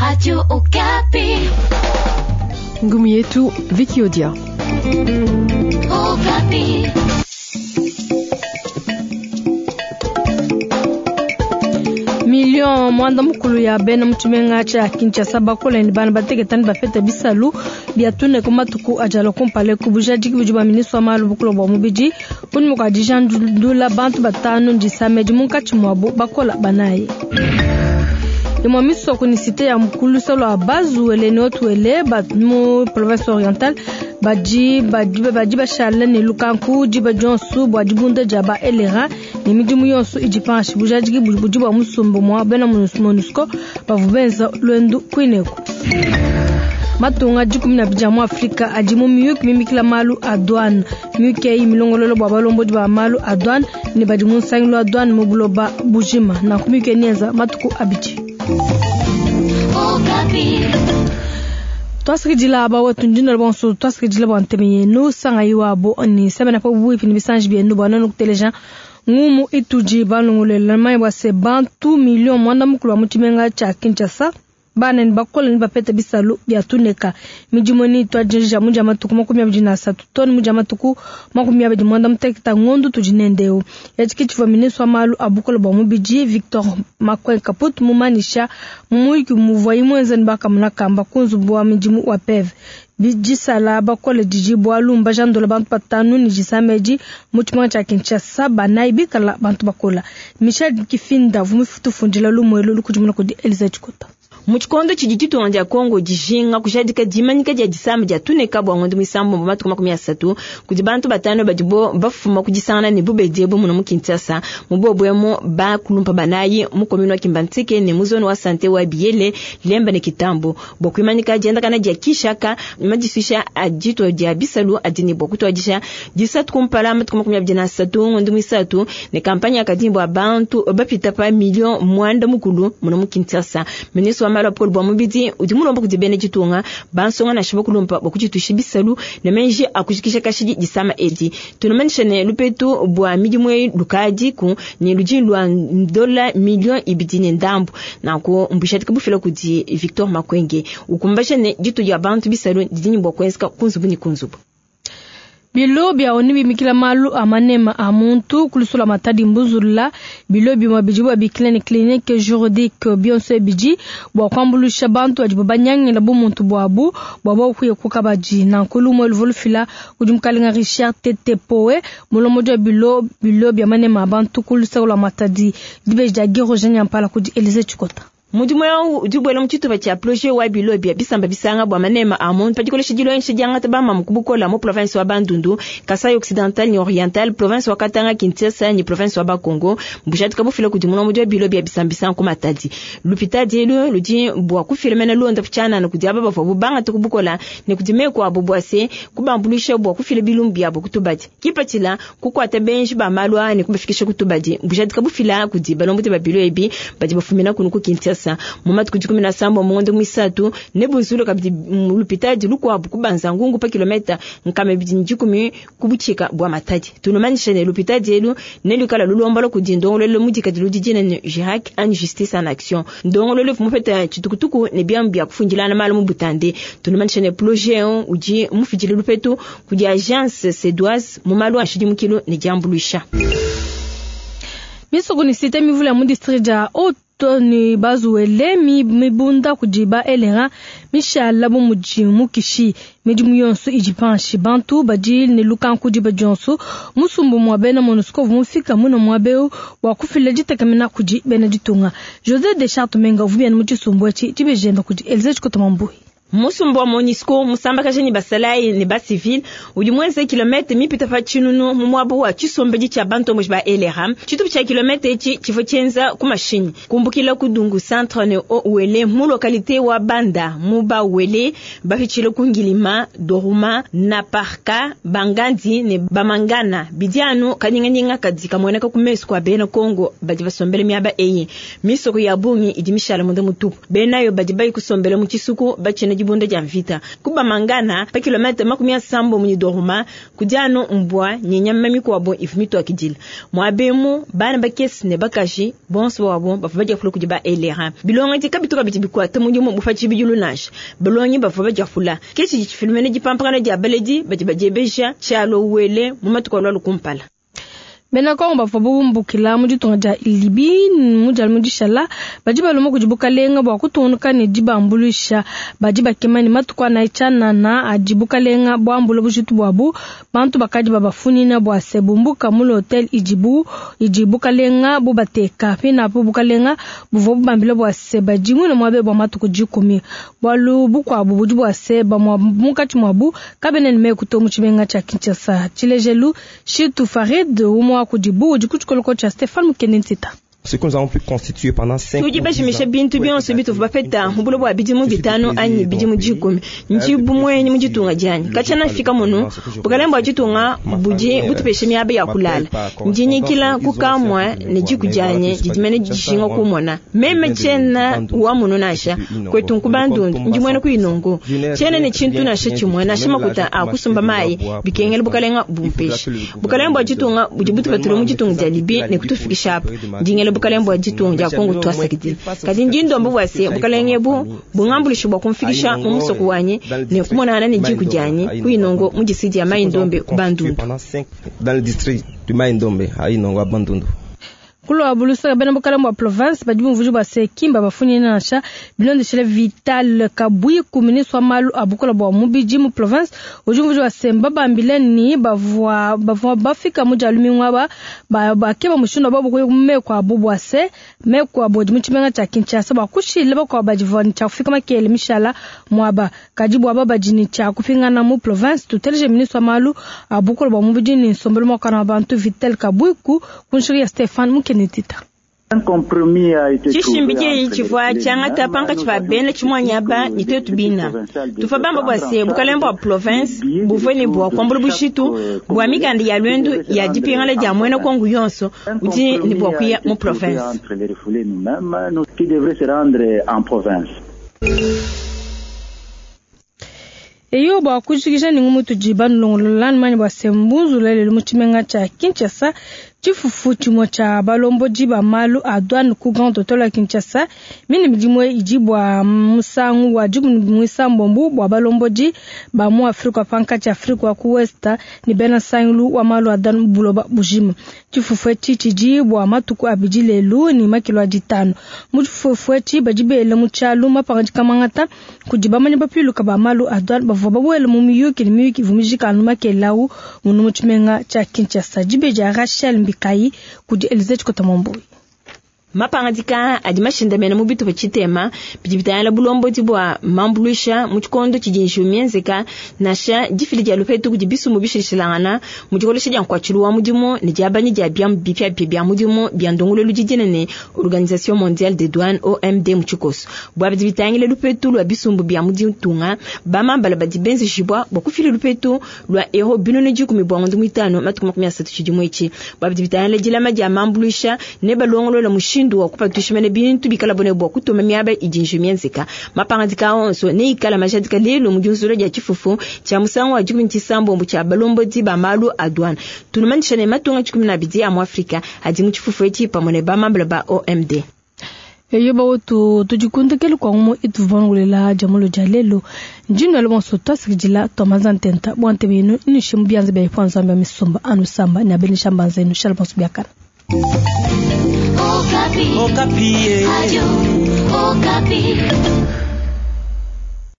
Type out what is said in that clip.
Radio Okapi. Ngumu yetu Vicky Odia. Okapi. Million mwanda mukulu ya bena mu tshimenga tshia Kinshasa bakole ne bana bateketa ne bapeta bisalu bia tune ku matuku ajala kumpala ku bujadiki budi bua ministre wa malu bukulu bua mubidi kunyima kua dijandula bantu batanu ndisamedi munkatshi muabu bakola banayi. Imue misoko ne cité ya mukulusa lua Bazuele ne Otuele ba mu province orientale badi badi badi bashala ne lukanku diba dionso bua dibunda dia ba LRA ne midimu yonso idi panshi bujadiki budi bua musumba mua bena MONUSCO bavua benza luendu kuineku. Matunga 12 a mu Afrika adi mu miyuki mimikila malu a douane. Miyuki eyi milongolola bua balombodi ba malu a douane ne badi mu nsangilu wa douane mu buloba bujima. Nanku miyuki eyi neyenza matuku abidi. Twasakidila aba wetu ndina bonso twasakidila bua ntema yenu sangayi wabo ni semena pa buipi ni bisanji bienu bua nenu kuteleja ngumu itudi balongolela mayi bua se bantu million mwanda mukulu wa mu tshimenga tshia Kinshasa bana ni bakole ni bapeta bisalu bia tuneka midimu ni twajija muja matuku 23 toni muja matuku 29 ngondu tudi nendeu yatshi tshivua ministre wa malu a bukole bua mubidi Victor Makwen Kaput mumanisha mumuyiki muvua imwenza ni bakamuna kamba ku nzubu wa midimu wa PEV bijisala bakole didi bualu mbajandola bantu batanu ni jisamedi mu tshimenga tshia Kinshasa banayi bikala bantu bakola. Michel Kifinda vumifutufundila lumuelu lukudimuna kudi Elisa Chikota. Mu tshikondo tshidi ditunga dia Kongo dijinga kujadika dimanyika dia disama dia tuneka bua ngondo muisambombo matuku 30 kudi bantu batanu badibo bafuma kudisangana ne bubedi ebu muno mu Kinshasa mu bobu bakulumpa banayi mu commune wa Kimbanseke ne mu zone wa sante wa Biyele Lemba ne Kitambo bua kuimanyika diendakana dia Kishaka madisuisha a dito dia bisalu adi ne bua kutuadisha disatu kumpala matuku 23 ngondo muisatu ne kampanye yakadi bua bantu bapita pa million mwanda mukulu muno mu Kinshasa. Ministre wa malu a bukole bua mubidi udi mulomba kudi bena ditunga bansonga nansha bakulumpa bua kuditusha bisalu ne menji akujikisha kashidi disama edi. Tunumanisha ne lupetu bua midimu eyi lukadiku ne ludi lua dola million ibidi ne ndambu nanku mbushadika bufila kudi Victor Makwenge ukumbasha ne ditu dia bantu bisalu didi ne bua kuenzeka ku nzubu ne ku nzubu. Bilo bia ONU bimikila malu a manema a muntu kulusula matadi mbuzula bilo bimwe bidi bua bikila ne clinique juridique bionso bidi bua kuambulusha bantu badi banyangila bu muntu buabu bua bakuye kukabaji nanku lumwe luvolufila kudi mukalenga Richard Tete Poe mulombodi wa bilo bilo bia manema a bantu kulusula matadi dibeji dia Guy Roger Nyampala kudi Elise Chikota. Mudimu eu udi ubuela mu tshitupa tshia projet wa bilo bia bisamba bisanga bua manema a muntu pa dikolesha dilongesha diangata bamamu ku bukola mu province wa Bandundu, Kasai Occidental ne Oriental, province wa Katanga, Kinshasa ne province wa Bakongo. Mbushadika bufila kudi mulombodi wa bilo bia bisamba bisanga ku Matadi. Lupitadi elu ludi bua kufila mena londa tshianana kudi aba bavua bubangata ku bukola ne kudi meku abu bua se kubambuluisha bua kufila bilumbu biabu kutubadi. Kipatshila kukuata benji ba malu aa ne kubafikisha kutubadi. Mbushadika bufila kudi balombodi ba bilo ebi badi bafumina kunu ku Kinshasa. Mu matuku 17 mu ngondo muisatu ne bunzulu kabidi lupitadi lukuabu kubanza ngungu pa kilometa 210 ku butshika bua Matadi. Tunumanisha ne lupitadi elu ne lukala lulombola kudi ndongoluelu mudikadi ludi ne JIRAC en justice en action. Ndongoluelu mupeta tshitukutuku ne biamu bia kufundilana malu mu butande. Tunumanisha ne projet udi mufidile lupetu kudi agence suédoise mu malu a nshidimukilu ne diambuluisha. Misoko ni cité mivula ya mu district dia ni bazuele mibunda kudi ba LRA mishala bu mudi mukishi midimu yonso idi panshi bantu badi ne lukanku diba dionso musumbu mua bena MONUSCO mufika muna muabeu bua kufila ditekemena kudi bena ditunga. José Deschartes Menga uvubiana mu tshisumbu etshi dibejemba kudi Elise Chikota Mambui. Musumbu wa MONUSCO musambakaja ne basalayi ne basivile udi muenze kilomètre mipita pa tshinunu mu muaba wa tshisombedi tshia bantomboji ba LRA. Tshitupa tshia kilomètre etshi tshivua tshienza ku mashinyi kumbukila ku Dungu centre ne Haut-Uele mu localité wa Banda mu Bawele bapitshile ku Ngilima, Doruma, Naparka, Bangandi ne Bamangana bidi anu kanyinganyinga kadi kamueneka ku mesu kua bena Kongo badi basombele miaba eyi. Misoko ya bungi idi mishala munda mutupu benayo badi bayi kusombela mu tshisuku batshina dibunda dia mvita. Ku Bamangana, pa kilometa 80 ne Doruma, kudi anu mbua ne nyama mikuabo ivua mituakidila. Muaba emu, bana bakese ne bakaji bonso babo bavua badiapula kudi ba LRA. Bilongedi kabitu kabidi bikuata mudimu bu pa tshibidilu nansha. Balongi bavua badiapula. Ke tshidi tshifilumena dipampakana dia baledi badi badiebeja tshialua Uele mu matuku alualua kumpala. Bena Kongo bavua bumbukila mu ditunga dia Libye mu dia mu dishala badi balomba kudi bukalenga bua kutungunuka ne dibambuluisha. Badi bakema ne matuku anayi tshianana adi bukalenga buambula bujitu buabu. Bantu bakadi babafunyina bua se bumbuka mu l'hotel idibu idi bukalenga bubateka. Pinapo bukalenga buvua bubambila bua se badi muine muabe bua matuku 10. Bualu bukuabu budi bua se bamua munkatshi muabu kabena ne meku to mu tshimenga tshia Kinshasa. Tshilejelu Shitu Farid umua kudibu udi ku tshikoloko tshia Stéphane Mukende Ntita. Ce que nous avons pu constituer pendant 5 Tudi bajimisha bintu bionso bituvua bapeta mu buloba bua bidimu 5 anyi bidimu 10. Ndi bumuenyi mu ditunga dianyi. Katshiena mfika munu, bukalenge bua ditunga budi butupesha miaba ya kulala. Ndi nyikila ku kamua ne diku dianyi didi mene dijinga kumona. Meme tshiena wa munu nansha, kwetu nku Bandundu, ndi muena ku Inongo. Tshiena ne tshintu nansha tshimue, nansha makuta a kusumba mayi, bikengela bukalenga bumpesha. Bukalenge bua ditunga budi butupatula mu ditunga dia Libye ne kutufikisha apa. Ndi ngela bukalenge bua ditunga dia Kongo tuasakidila. Kadi ndi ndomba bua se bukalenge ebu bungambuluishe bua kumfikisha mu musoko wanyi ne kumonangana ne diku dianyi ku Inongo mu district dia Mai-Ndombe ku Bandundu. Dans le district du Mai-Ndombe à Inongo à Bandundu. Kulwa bulusaka bena bukalenge bua province badi bumvuija bua se kimba bafunyina nansha bilondeshile Vital Kabwiku ministre wa malu a bukola bua mubidi mu province udi umvuija bua se mbabambile ni bavua bafika mu dia lumingu aba bakeba mushindu wa bobu kuya mu meku abu bua se meku abu adi mu tshimenga tshia Kinshasa bua kushila bakuabu badi ne tshia kufika makele mishala muaba kadi bua aba badi ne tshia kupingana mu province. Tuteleje ministre wa malu a bukola bua mubidi ne nsombelu muakane wa bantu Vital Kabwiku ku nshiki ya Stéphane Mukende Ntita. Tshishimbi tshieyi tshivua tshiangata pankatshi pa bena tshimuanyaba ne tuetu bina. Tuvua bamba bua se bukalenge bua province buvua ne bua kuambula bushitu bua mikanda ya luendu ya dipingana dia muena Kongo yonso udi ne bua kuya mu province. Eyo bua kujikija ne ngumu tudi banulongolola manya bua se mbunzula lelu mu tshimenga tshia Kinshasa tshifufu tshimue tshia balombodi ba malu a douane ku Grand Hotel ya Kinshasa mine midimu idi bua musangu wa 17 bua balombodi ba mu Afrika pankatshi Afrika wa ku West ne bena nsangilu wa malu a douane buloba bujima. Tshifufu etshi tshidi bua matuku abidi lelu ne makilo a 5. Mu tshifufu etshi badi bela mu tshialu mapangadika mangata kudi bamanyi bapiluka ba malu a douane bavua babuele mu miyuki ne miyuki ivua mijika anu makelau munu mu tshimenga tshia Kinshasa. Dibeji Rachel Mbikai kudi Elise Chikota Mwambui. Mapangadika adi mashindamene mu bitupa tshitema bidi bitangila bulombodi bua mambuluisha mu tshikondo tshidi njiwu mienzeka nansha difila dia lupetu kudi bisumbu bishilashilangana mu dikolesha dia nkuatshilu wa mudimu ne diabanya dia biamu bipiabipia bia mudimu bia ndongoluelu didine ne Organisation Mondiale des Douanes OMD mu tshikoso. Bua bidi bitangila lupetu lua bisumbu bia mu ditunga bamambala badi benzejibua bua kufila lupetu lua euro 10 bua ngondo 5 matuku 30 tshidimu etshi. Bua bidi bitangila dilama dia mambuluisha ne balongolola mushindu wa kupatuisha mene bintu bikala bone bua kutuma miaba idi njiwu mienzeka. Mapangadika onso ne ikala majadika lelu mu diunzula dia tshifufu tshia musangu wa 17 tshia balombodi ba malu a douane. Tunumanyisha ne matunga 12 a mu Afrika adi mu tshifufu etshi pamue ne bamambala ba OMD. Eyo bawetu tudikundikele kwa ngumu ituvangulela jamulo dia lelo ndino bonso twasikidila twamaza ntenta bua ntebe yenu nishe mu bianza bia ipo nzambe ya misumba anu samba ne abenisha mbanza yenu shala bonso biakana. Okapi. Okapi. Radio Okapi.